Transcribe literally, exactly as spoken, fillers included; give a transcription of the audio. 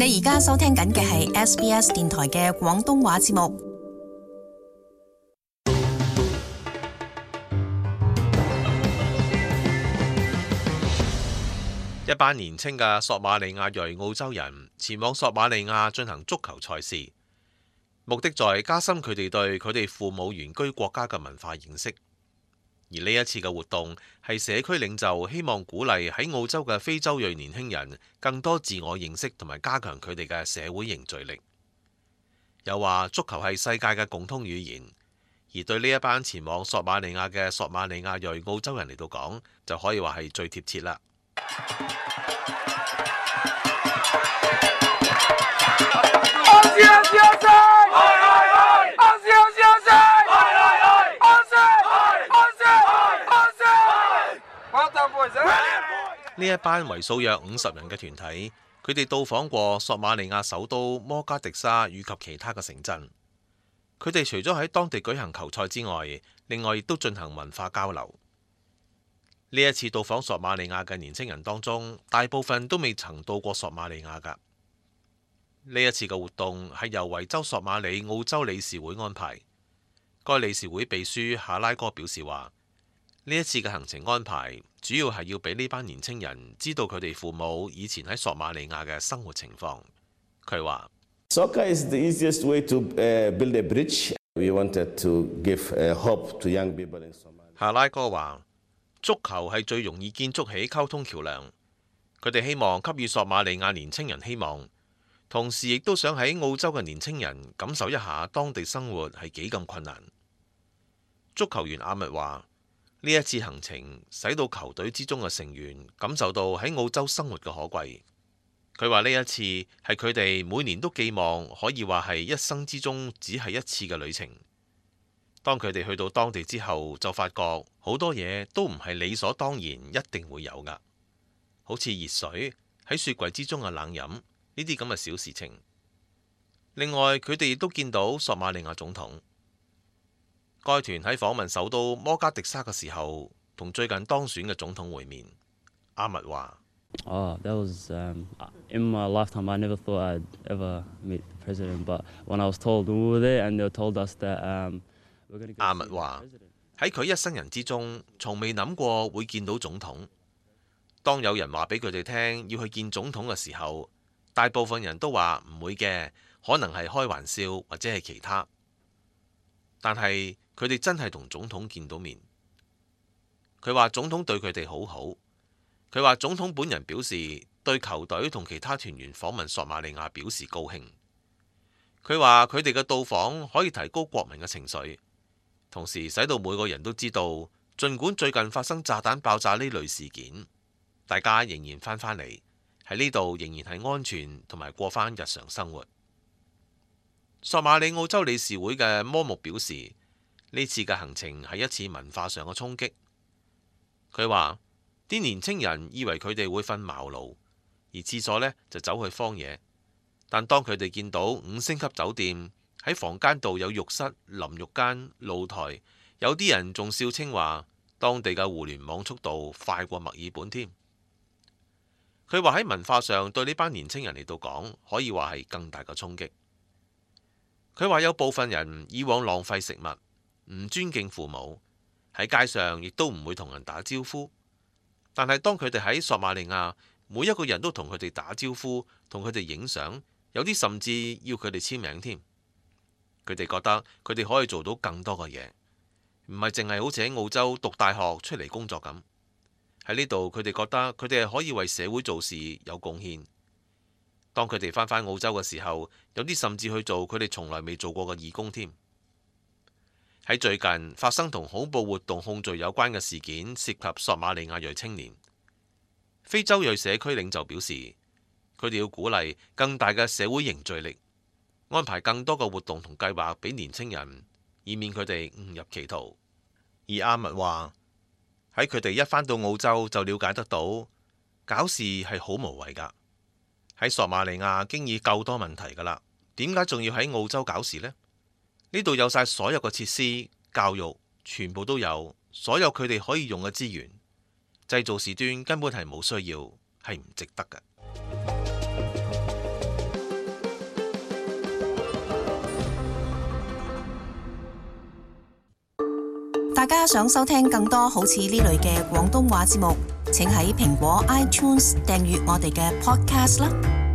你而家收聽緊嘅係 S B S 電台嘅廣東話節目。一班年輕嘅索馬利亞裔澳洲人前往索馬利亞進行足球賽事，目的在加深佢哋對佢哋父母原居國家嘅文化認識。而呢一次嘅活動係社區領袖希望鼓勵喺澳洲嘅非洲裔年輕人更多自我認識同埋加強佢哋嘅社會凝聚力。又話足球係世界嘅共通語言，而對呢一班前往索馬利亞嘅索馬利亞裔澳洲人嚟到講，就可以話係最貼切啦。呢一班為數約五十人嘅團體，佢哋到訪過索馬利亞首都摩加迪沙以及其他嘅城鎮。佢哋除咗喺當地舉行球賽之外，另外亦都進行文化交流。呢一次到訪索馬利亞嘅年輕人當中，大部分都未曾到過索馬利亞㗎。呢一次嘅活動係由維州索馬里澳洲理事會安排。該理事會秘書夏拉哥表示話：呢一次嘅行程安排主要係要俾呢班年輕人知道佢哋父母以前喺索馬利亞嘅生活情況。佢話：Soccer is the easiest way to build a bridge. We wanted to give hope to young people in Somalia. 夏拉哥話：足球係最容易建築起溝通橋樑。佢哋希望給予索馬利亞年輕人希望，同時亦都想喺澳洲嘅年輕人感受一下當地生活係幾咁困難。足球員阿密話：呢一次行程使到球隊之中嘅成員感受到喺澳洲生活嘅可貴。佢話呢一次係佢哋每年都寄望可以話係一生之中只係一次嘅旅程。當佢哋去到當地之後，就發覺好多嘢都唔係理所當然一定會有㗎，好似熱水喺雪櫃之中嘅冷飲呢啲咁嘅小事情。另外，佢哋亦都見到索馬利亞總統。該團喺訪問首都摩加迪沙嘅時候，同最近當選嘅總統會面。阿密話：Oh, that was um, in my lifetime. I never thought I'd ever meet the president, but when I was told we were there, and they told us that um, we're going to go. 阿密話喺佢一生人之中，從未諗過會見到總統。當有人話俾佢哋聽要去見總統嘅時候，大部分人都話唔會嘅，可能係開玩笑或者係其他。但係佢哋真係同總統見到面。佢話總統對佢哋好好。佢話總統本人表示對球隊同其他團員訪問索馬利亞表示高興。佢話佢哋嘅到訪可以提高國民嘅情緒，同時使到每個人都知道，儘管最近發生炸彈爆炸呢類事件，大家仍然翻返嚟喺呢度，仍然係安全同埋過返日常生活。索馬里澳洲理事會嘅摩木表示，呢次嘅行程係一次文化上嘅衝擊。佢話啲年青人以為佢哋會瞓茅廬，而廁所呢就走去荒野。但當佢哋見到五星級酒店喺房間度有浴室、淋浴間、露台，有啲人仲笑稱話當地嘅互聯網速度快過墨爾本添。佢話喺文化上對呢班年青人嚟到講，可以話係更大嘅衝擊。佢話有部分人以往浪費食物，唔尊敬父母，喺街上亦都唔會同人打招呼。但係當佢哋喺索馬利亞，每一個人都同佢哋打招呼，同佢哋影相，有啲甚至要佢哋簽名添。佢哋覺得佢哋可以做到更多嘅嘢，唔係淨係好似喺澳洲讀大學出嚟工作咁。喺呢度佢哋覺得佢哋係可以為社會做事有貢獻。當佢哋返返澳洲嘅時候，有啲甚至去做佢哋從來未做過嘅義工添。喺最近發生同恐怖活動控罪有關嘅事件，涉及索馬利亞裔青年。非洲裔社區領袖表示，佢哋要鼓勵更大嘅社會凝聚力，安排更多嘅活動同計劃俾年青人，以免佢哋誤入歧途。而阿密話喺佢哋一返到澳洲就了解得到，搞事係好無謂㗎。喺索馬利亞經已夠多問題㗎啦，點解仲要喺澳洲搞事呢？呢度有晒所有嘅設施、教育，全部都有，所有佢哋可以用嘅資源，製造事端根本係冇需要，係唔值得嘅。大家想收聽更多好似呢類嘅廣東話節目，請喺蘋果 iTunes 訂閱我哋嘅 podcast 啦。